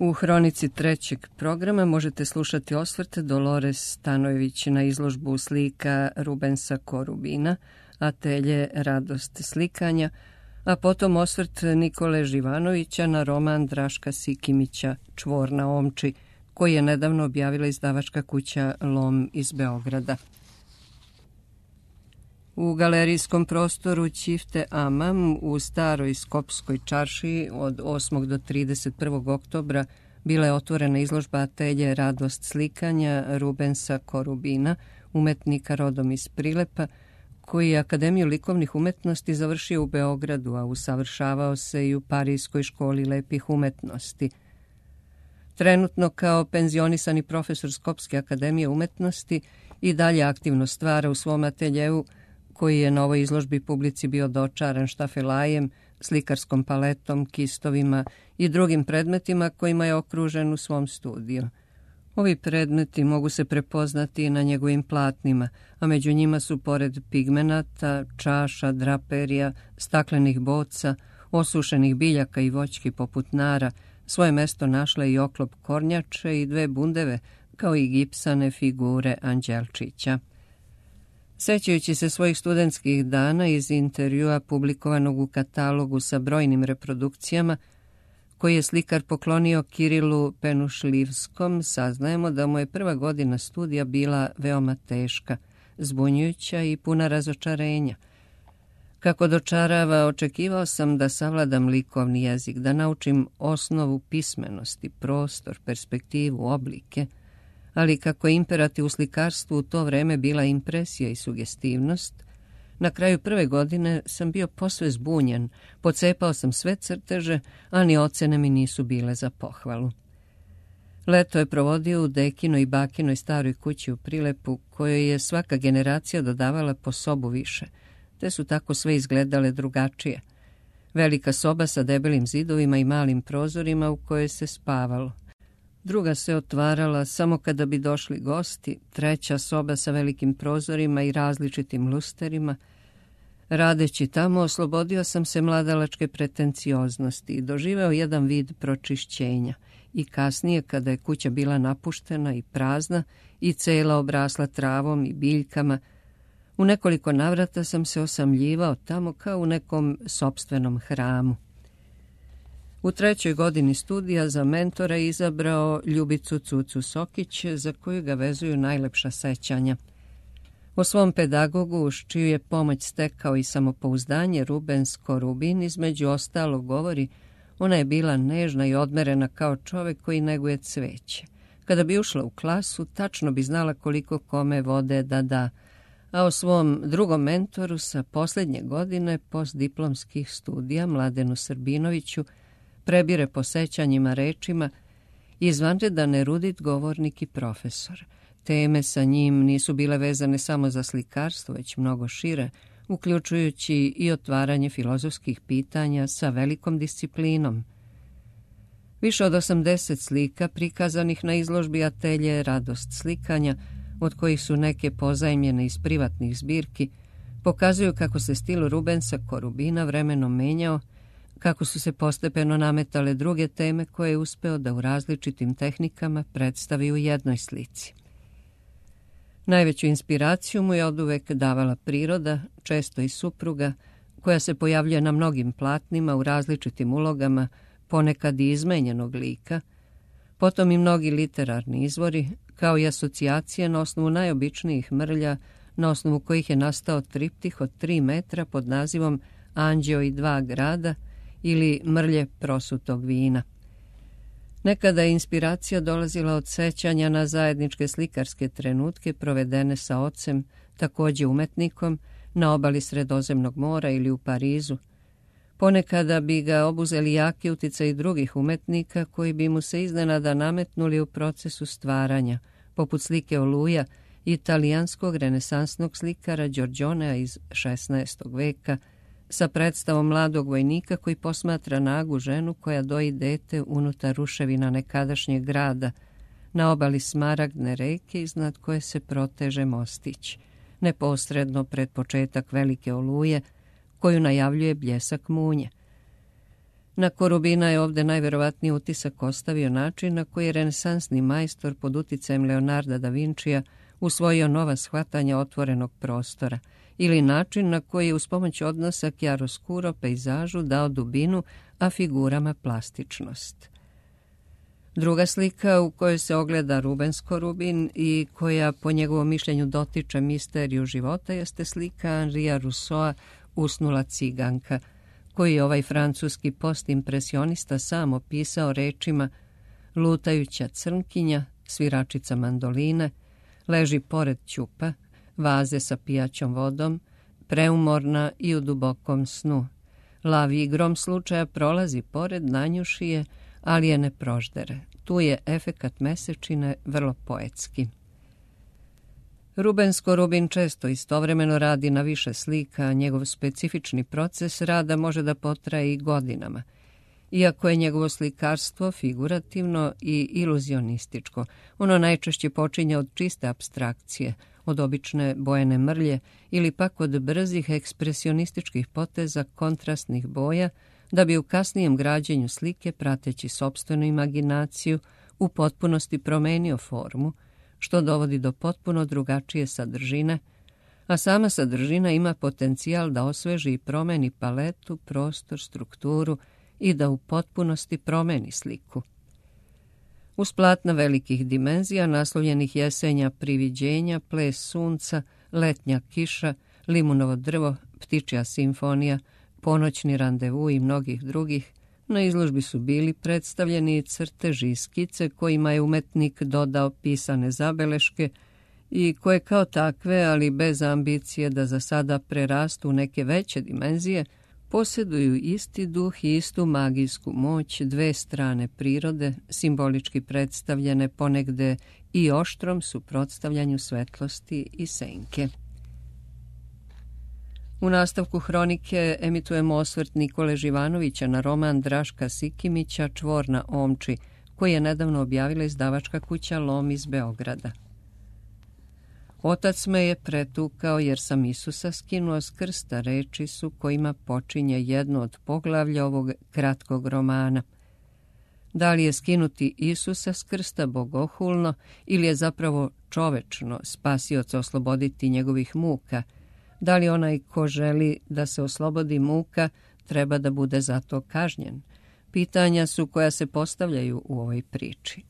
U hronici trećeg programa možete slušati osvrt Dolores Stanojević na izložbu slika Rubensa Korubina, Atelje radost slikanja, a potom osvrt Nikole Živanovića na roman Draška Sikimića Čvor na omči, koji je nedavno objavila izdavačka kuća Lom iz Beograda. U galerijskom prostoru Ćifte Amam u staroj Skopskoj čaršiji od 8. do 31. oktobra bila je otvorena izložba Atelje radost slikanja Rubensa Korubina, umetnika rodom iz Prilepa, koji je Akademiju likovnih umetnosti završio u Beogradu, a usavršavao se i u Parijskoj školi lepih umetnosti. Trenutno kao penzionisani profesor Skopske akademije umetnosti i dalje aktivno stvara u svom ateljeu, koji je na ovoj izložbi publici bio dočaran štafelajem, slikarskom paletom, kistovima i drugim predmetima kojima je okružen u svom studiju. Ovi predmeti mogu se prepoznati i na njegovim platnima, a među njima su pored pigmenata, čaša, draperija, staklenih boca, osušenih biljaka i voćki poput nara, svoje mesto našla i oklop kornjače i 2 bundeve, kao i gipsane figure anđelčića. Sećajući se svojih studentskih dana iz intervjua publikovanog u katalogu sa brojnim reprodukcijama, koji je slikar poklonio Kirilu Penušlivskom, saznajemo da mu je prva godina studija bila veoma teška, zbunjujuća i puna razočarenja. Kako dočarava, očekivao sam da savladam likovni jezik, da naučim osnovu pismenosti, prostor, perspektivu, oblike, ali kako je imperativ u slikarstvu u to vreme bila impresija i sugestivnost, na kraju prve godine sam bio posve zbunjen, pocepao sam sve crteže, a ni ocene mi nisu bile za pohvalu. Leto je provodio u dekinoj i bakinoj staroj kući u Prilepu, kojoj je svaka generacija dodavala po sobu više, te su tako sve izgledale drugačije. Velika soba sa debelim zidovima i malim prozorima u kojoj se spavalo. Druga se otvarala samo kada bi došli gosti, treća soba sa velikim prozorima i različitim lusterima. Radeći tamo, oslobodio sam se mladalačke pretencioznosti i doživeo jedan vid pročišćenja. I kasnije, kada je kuća bila napuštena i prazna i cela obrasla travom i biljkama, u nekoliko navrata sam se osamljivao tamo kao u nekom sopstvenom hramu. U 3. godini studija za mentora izabrao Ljubicu Cucu Sokić, za koju ga vezuju najlepša sećanja. O svom pedagogu, uz čiju je pomoć stekao i samopouzdanje, Rubens Korubin između ostalog govori: ona je bila nežna i odmerena kao čovek koji neguje cveće. Kada bi ušla u klasu, tačno bi znala koliko kome vode da da, a o svom drugom mentoru sa posljednje godine postdiplomskih studija, Mladenu Srbinoviću, prebire po sećanjima rečima: izvanredan erudit, govornik i profesor. Teme sa njim nisu bile vezane samo za slikarstvo, već mnogo šire, uključujući i otvaranje filozofskih pitanja sa velikom disciplinom. Više od 80 slika prikazanih na izložbi Atelje radost slikanja, od kojih su neke pozajmljene iz privatnih zbirki, pokazuju kako se stil Rubensa Korubina vremenom menjao, kako su se postepeno nametale druge teme koje je uspeo da u različitim tehnikama predstavi u jednoj slici. Najveću inspiraciju mu je oduvek davala priroda, često i supruga, koja se pojavljuje na mnogim platnima u različitim ulogama, ponekad i izmenjenog lika, potom i mnogi literarni izvori, kao i asocijacije na osnovu najobičnijih mrlja, na osnovu kojih je nastao triptih od 3 metra pod nazivom Anđeo i 2 grada ili Mrlje prosutog vina. Nekada je inspiracija dolazila od sećanja na zajedničke slikarske trenutke provedene sa ocem, takođe umetnikom, na obali Sredozemnog mora ili u Parizu. Ponekada bi ga obuzeli jaki uticaj drugih umetnika koji bi mu se iznenada nametnuli u procesu stvaranja, poput slike Oluja, italijanskog renesansnog slikara Giorgionea iz 16. veka, sa predstavom mladog vojnika koji posmatra nagu ženu koja doji dete unutar ruševina nekadašnjeg grada, na obali Smaragdne reke iznad koje se proteže mostić, neposredno pred početak velike oluje, koju najavljuje bljesak munje. Na Korubina je ovdje najverovatniji utisak ostavio način na koji je renesansni majstor pod uticajem Leonarda da Vincija usvojio nova shvatanja otvorenog prostora ili način na koji je uz pomoć odnosa chiaroscuro pejzažu dao dubinu, a figurama plastičnost. Druga slika u kojoj se ogleda Rubens Korubin i koja po njegovom mišljenju dotiče misteriju života jeste slika Henria Rousseaua Usnula ciganka, koji je ovaj francuski postimpresionista sam opisao rečima: lutajuća crnkinja, sviračica mandoline, leži pored ćupa, vaze sa pijaćom vodom, preumorna i u dubokom snu. Lav igrom slučaja prolazi pored, nanjuši je, ali je ne proždere. Tu je efekat mesečine vrlo poetski. Rubens Korubin često istovremeno radi na više slika, a njegov specifični proces rada može da potraje i godinama. Iako je njegovo slikarstvo figurativno i iluzionističko, ono najčešće počinje od čiste apstrakcije, od obične bojene mrlje ili pak od brzih ekspresionističkih poteza kontrastnih boja, da bi u kasnijem građenju slike, prateći sopstvenu imaginaciju, u potpunosti promenio formu, što dovodi do potpuno drugačije sadržine, a sama sadržina ima potencijal da osveži i promeni paletu, prostor, strukturu i da u potpunosti promeni sliku. Uz platna velikih dimenzija, naslovljenih Jesenja priviđenja, Ples sunca, Letnja kiša, Limunovo drvo, Ptičja simfonija, Ponoćni randevu i mnogih drugih, na izložbi su bili predstavljeni crteži i skice kojima je umetnik dodao pisane zabeleške i koje kao takve, ali bez ambicije da za sada prerastu u neke veće dimenzije, posjeduju isti duh i istu magijsku moć, dve strane prirode, simbolički predstavljene ponegde i oštrom suprotstavljanju svetlosti i senke. U nastavku hronike emitujemo osvrt Nikole Živanovića na roman Draška Sikimića Čvor na Omči, koji je nedavno objavila izdavačka kuća Lom iz Beograda. Otac me je pretukao jer sam Isusa skinuo s krsta, reči su kojima počinje jedno od poglavlja ovog kratkog romana. Da li je skinuti Isusa s krsta bogohulno ili je zapravo čovečno spasioca osloboditi njegovih muka? Da li onaj ko želi da se oslobodi muka treba da bude za to kažnjen? Pitanja su koja se postavljaju u ovoj priči.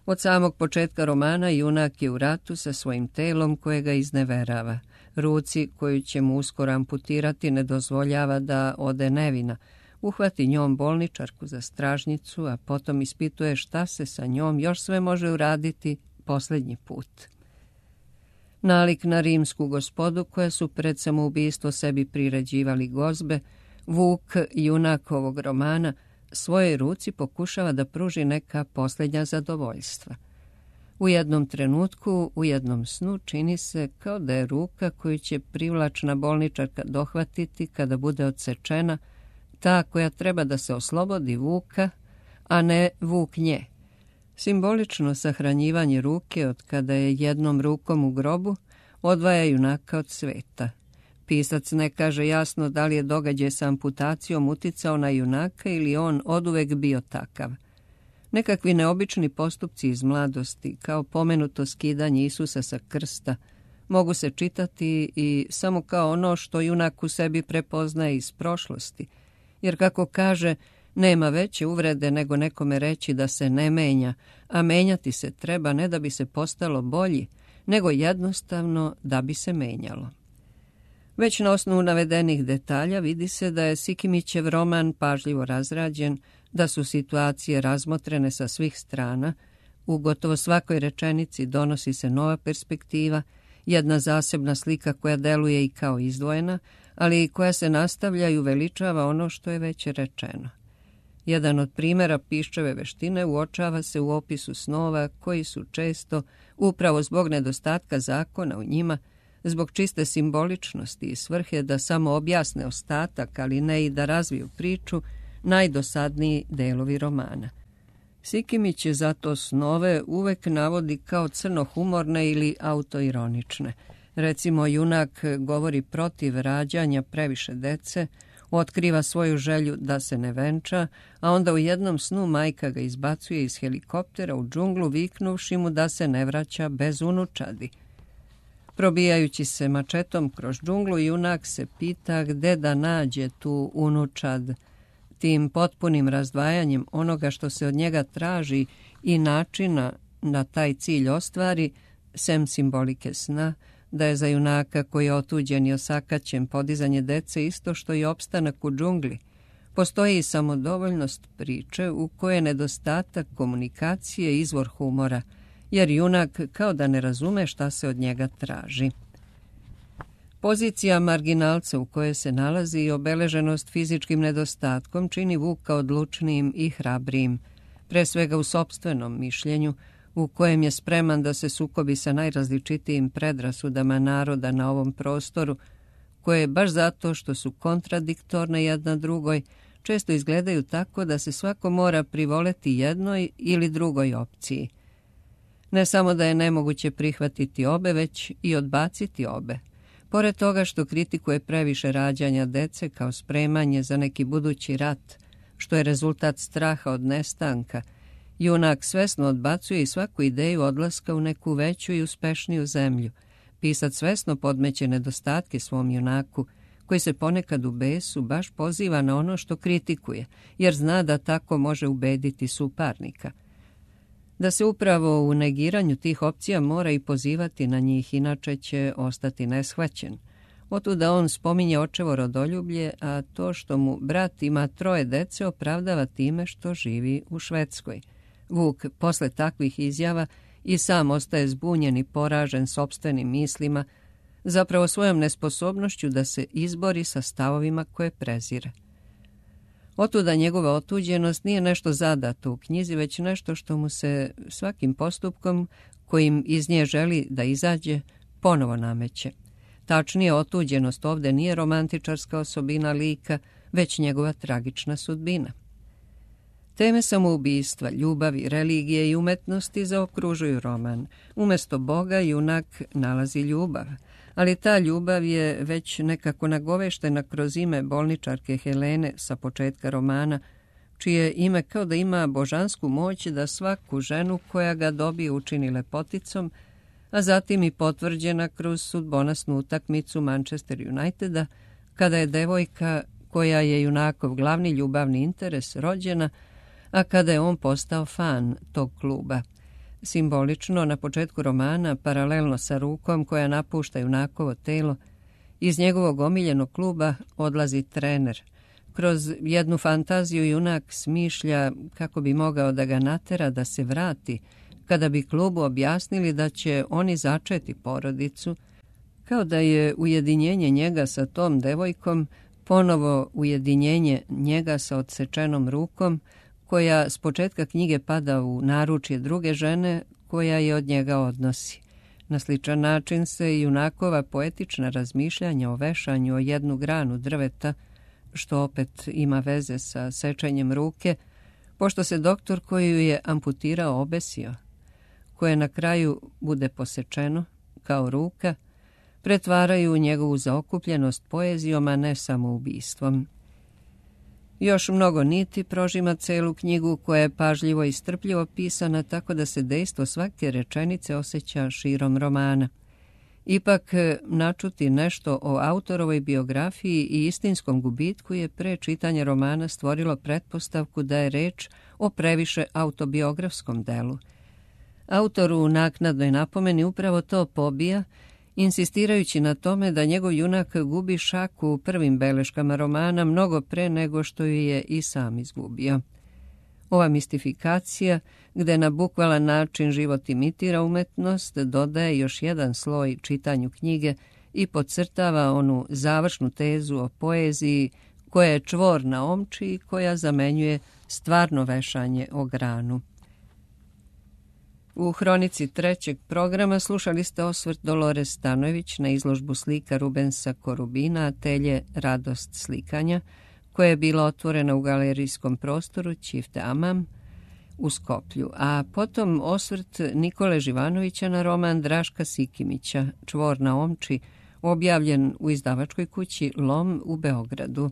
Od samog početka romana junak je u ratu sa svojim telom koje ga izneverava. Ruci koju će mu uskoro amputirati ne dozvoljava da ode nevina. Uhvati njom bolničarku za stražnicu, a potom ispituje šta se sa njom još sve može uraditi posljednji put. Nalik na rimsku gospodu koja su pred samoubistvo sebi priređivali gozbe, Vuk, junak ovog romana, svojoj ruci pokušava da pruži neka posljednja zadovoljstva. U jednom trenutku, u jednom snu, čini se kao da je ruka koju će privlačna bolničarka dohvatiti kada bude odsečena, ta koja treba da se oslobodi Vuka, a ne Vuk nje. Simbolično sahranjivanje ruke od kada je jednom rukom u grobu odvaja junaka od sveta. Pisac ne kaže jasno da li je događaj sa amputacijom uticao na junaka ili on oduvek bio takav. Nekakvi neobični postupci iz mladosti, kao pomenuto skidanje Isusa sa krsta, mogu se čitati i samo kao ono što junak u sebi prepoznaje iz prošlosti, jer kako kaže, nema veće uvrede nego nekome reći da se ne menja, a menjati se treba ne da bi se postalo bolji, nego jednostavno da bi se menjalo. Već na osnovu navedenih detalja vidi se da je Sikimićev roman pažljivo razrađen, da su situacije razmotrene sa svih strana, u gotovo svakoj rečenici donosi se nova perspektiva, jedna zasebna slika koja deluje i kao izdvojena, ali i koja se nastavlja i uveličava ono što je već rečeno. Jedan od primjera Piščeve veštine uočava se u opisu snova koji su često, upravo zbog nedostatka zakona u njima, zbog čiste simboličnosti i svrhe da samo objasne ostatak, ali ne i da razviju priču, najdosadniji delovi romana. Sikimić je zato snove uvek navodi kao crnohumorne ili autoironične. Recimo, junak govori protiv rađanja previše dece, Otkriva svoju želju da se ne venča, a onda u jednom snu majka ga izbacuje iz helikoptera u džunglu viknuvši mu da se ne vraća bez unučadi. Probijajući se mačetom kroz džunglu, junak se pita gde da nađe tu unučad. Tim potpunim razdvajanjem onoga što se od njega traži i načina da taj cilj ostvari, sem simbolike sna, da je za junaka koji je otuđen i osakaćen podizanje dece isto što i opstanak u džungli, postoji i samodovoljnost priče u kojoj je nedostatak komunikacije izvor humora, jer junak kao da ne razume šta se od njega traži. Pozicija marginalca u kojoj se nalazi i obeleženost fizičkim nedostatkom čini Vuka odlučnijim i hrabrijim, pre svega u sopstvenom mišljenju, u kojem je spreman da se sukobi sa najrazličitijim predrasudama naroda na ovom prostoru, koje baš zato što su kontradiktorne jedna drugoj, često izgledaju tako da se svako mora privoleti jednoj ili drugoj opciji. Ne samo da je nemoguće prihvatiti obe, već i odbaciti obe. Pored toga što kritikuje previše rađanja dece kao spremanje za neki budući rat, što je rezultat straha od nestanka, junak svesno odbacuje i svaku ideju odlaska u neku veću i uspešniju zemlju. Pisac svesno podmeće nedostatke svom junaku, koji se ponekad u besu baš poziva na ono što kritikuje, jer zna da tako može ubediti suparnika. Da se upravo u negiranju tih opcija mora i pozivati na njih, inače će ostati neshvaćen. Otuda on spominje očevo rodoljublje, a to što mu brat ima 3 dece opravdava time što živi u Švedskoj. Vuk posle takvih izjava i sam ostaje zbunjen i poražen sopstvenim mislima, zapravo svojom nesposobnošću da se izbori sa stavovima koje prezire. Otuda njegova otuđenost nije nešto zadato u knjizi, već nešto što mu se svakim postupkom kojim iz nje želi da izađe ponovo nameće. Tačnije, otuđenost ovde nije romantičarska osobina lika, već njegova tragična sudbina. Teme samoubistva, ljubavi, religije i umetnosti zaokružuju roman. Umesto Boga junak nalazi ljubav, ali ta ljubav je već nekako nagoveštena kroz ime bolničarke Helene sa početka romana, čije ime kao da ima božansku moć da svaku ženu koja ga dobije učini lepoticom, a zatim i potvrđena kroz sudbonosnu utakmicu Manchester Uniteda, kada je devojka koja je junakov glavni ljubavni interes rođena, a kada je on postao fan tog kluba. Simbolično, na početku romana, paralelno sa rukom koja napušta junakovo telo, iz njegovog omiljenog kluba odlazi trener. Kroz jednu fantaziju junak smišlja kako bi mogao da ga natera da se vrati, kada bi klubu objasnili da će oni začeti porodicu, kao da je ujedinjenje njega sa tom devojkom ponovo ujedinjenje njega sa odsečenom rukom, koja s početka knjige pada u naručje druge žene koja je od njega odnosi. Na sličan način se i junakova poetična razmišljanja o vešanju o jednu granu drveta, što opet ima veze sa sečenjem ruke, pošto se doktor koji ju je amputirao obesio, koje na kraju bude posečeno, kao ruka, pretvaraju u njegovu zaokupljenost poezijom, a ne samoubistvom. Još mnogo niti prožima celu knjigu koja je pažljivo i strpljivo pisana tako da se dejstvo svake rečenice osjeća širom romana. Ipak, načuti nešto o autorovoj biografiji i istinskom gubitku je pre čitanja romana stvorilo pretpostavku da je reč o previše autobiografskom delu. Autor u naknadnoj napomeni upravo to pobija, insistirajući na tome da njegov junak gubi šaku u prvim beleškama romana mnogo pre nego što ju je i sam izgubio. Ova mistifikacija, gde na bukvalan način život imitira umetnost, dodaje još jedan sloj čitanju knjige i podcrtava onu završnu tezu o poeziji koja je čvor na omči i koja zamenjuje stvarno vešanje o granu. U hronici 3. programa slušali ste osvrt Dolores Stanojević na izložbu slika Rubensa Korubina Atelje Radost slikanja, koja je bila otvorena u galerijskom prostoru Ćifte Amam u Skoplju, a potom osvrt Nikole Živanovića na roman Draška Sikimića Čvor na omči, objavljen u izdavačkoj kući Lom u Beogradu.